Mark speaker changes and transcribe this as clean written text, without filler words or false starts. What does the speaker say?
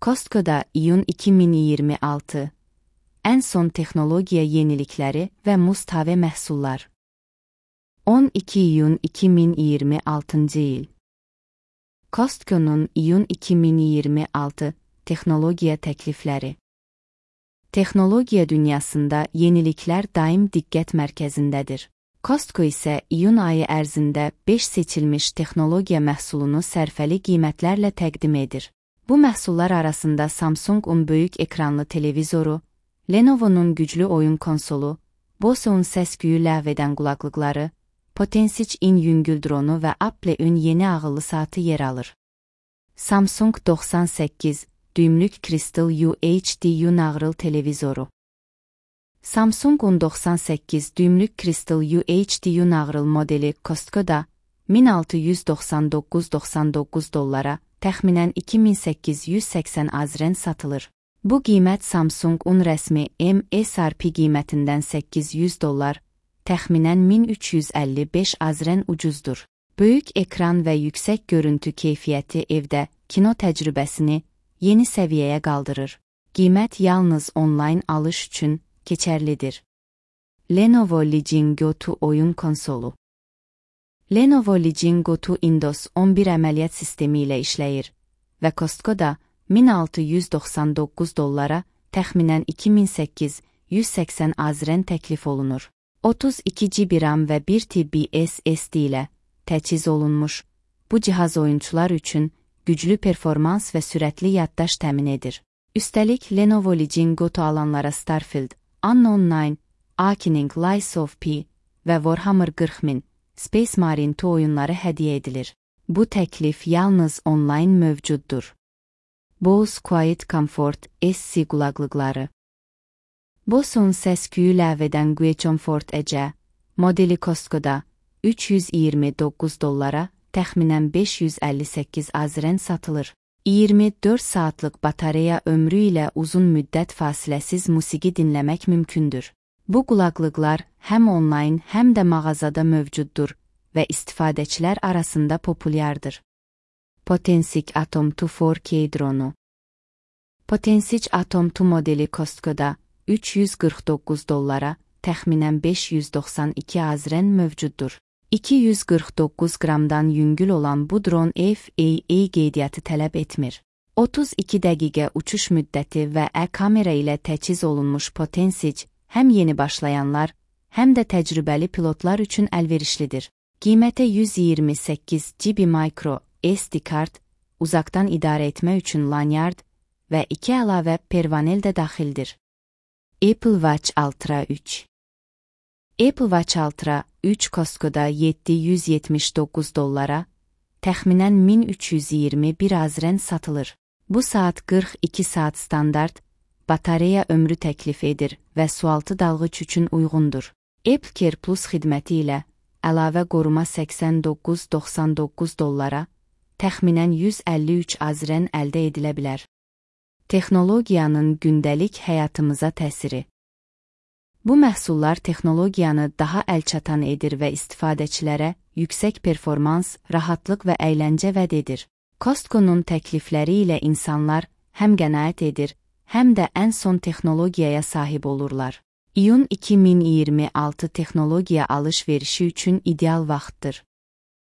Speaker 1: Costco'da iyun 2026. En son texnologiya yenilikləri və Mustave məhsullar. 12 iyun 2026 il. Costco'nun iyun 2026 texnologiya təklifləri. Texnologiya dünyasında yeniliklər daim diqqət mərkəzindədir. Costco isə iyun ayı ərzində 5 seçilmiş texnologiya məhsulunu sərfəli qiymətlərlə təqdim edir. Bu məhsullar arasında Samsung'un böyük ekranlı televizoru, Lenovo'nun güclü oyun konsolu, Bose'un səs-küyü ləğv edən qulaqlıqları, Potensich-in yüngül dronu və Apple'ün yeni ağıllı saatı yer alır. Samsung 98 düymlük Crystal UHD Unağrıl televizoru. Samsung'un 98 düymlük Crystal UHD Unağrıl modeli Costco'da $1699.99, təxminən 2880 azren satılır. Bu qiymət Samsung'un rəsmi MSRP qiymətindən $800, təxminən 1355 azren ucuzdur. Böyük ekran və yüksək görüntü keyfiyyəti evdə kino təcrübəsini yeni səviyyəyə qaldırır. Qiymət yalnız onlayn alış üçün keçərlidir. Lenovo Legion Go 2 oyun konsolu. Lenovo Legion Go 2 Windows 11 əməliyyat sistemi ilə işləyir və Costco'da $1699, təxminən 2880 azren təklif olunur. 32 GB RAM və 1 TB SSD ilə təchiz olunmuş, bu cihaz oyunçular üçün güclü performans və sürətli yaddaş təmin edir. Üstəlik Lenovo Legion Go 2 alanlara Starfield, Unknown 9, Awakening Lies of P və Warhammer 40.000 Space Marine 2 oyunları hədiyyə edilir. Bu təklif yalnız onlayn mövcuddur. Bose Quiet Comfort SC qulaqlıqları. Bose'un səs-küyü ləğv edən Quiet Comfort EC modeli Costco'da $329, təxminən 558 azren satılır. 24 saatlıq batareya ömrü ilə uzun müddət fasiləsiz musiqi dinləmək mümkündür. Bu qulaqlıqlar həm onlayn, həm də mağazada mövcuddur və istifadəçilər arasında populyardır. Potensich Atom 2 4K dronu. Potensich Atom 2 modeli Costco'da $349, təxminən 592 azren mövcuddur. 249 qramdan yüngül olan bu dron FAA qeydiyyatı tələb etmir. 32 dəqiqə uçuş müddəti və kamera ilə təchiz olunmuş Potensich həm yeni başlayanlar, həm də təcrübəli pilotlar üçün əlverişlidir. Qiymətə 128 GB micro SD kart, uzaqdan idarə etmə üçün lanyard və 2 əlavə pervanel də daxildir. Apple Watch Ultra 3. Apple Watch Ultra 3 Costco'da $779, təxminən 1321 azren satılır. Bu saat 42 saat standart, batareya ömrü təklif edir və sualtı dalğıç üçün uyğundur. AppleCare Plus xidməti ilə əlavə qoruma $89.99, təxminən 153 azren əldə edilə bilər. Texnologiyanın gündəlik həyatımıza təsiri. Bu məhsullar texnologiyanı daha əlçatan edir və istifadəçilərə yüksək performans, rahatlıq və əyləncə vəd edir. Costco'nun təklifləri ilə insanlar həm qənaət edir, həm də ən son texnologiyaya sahib olurlar. İyun 2026 texnologiya alış-verişi üçün ideal vaxtdır.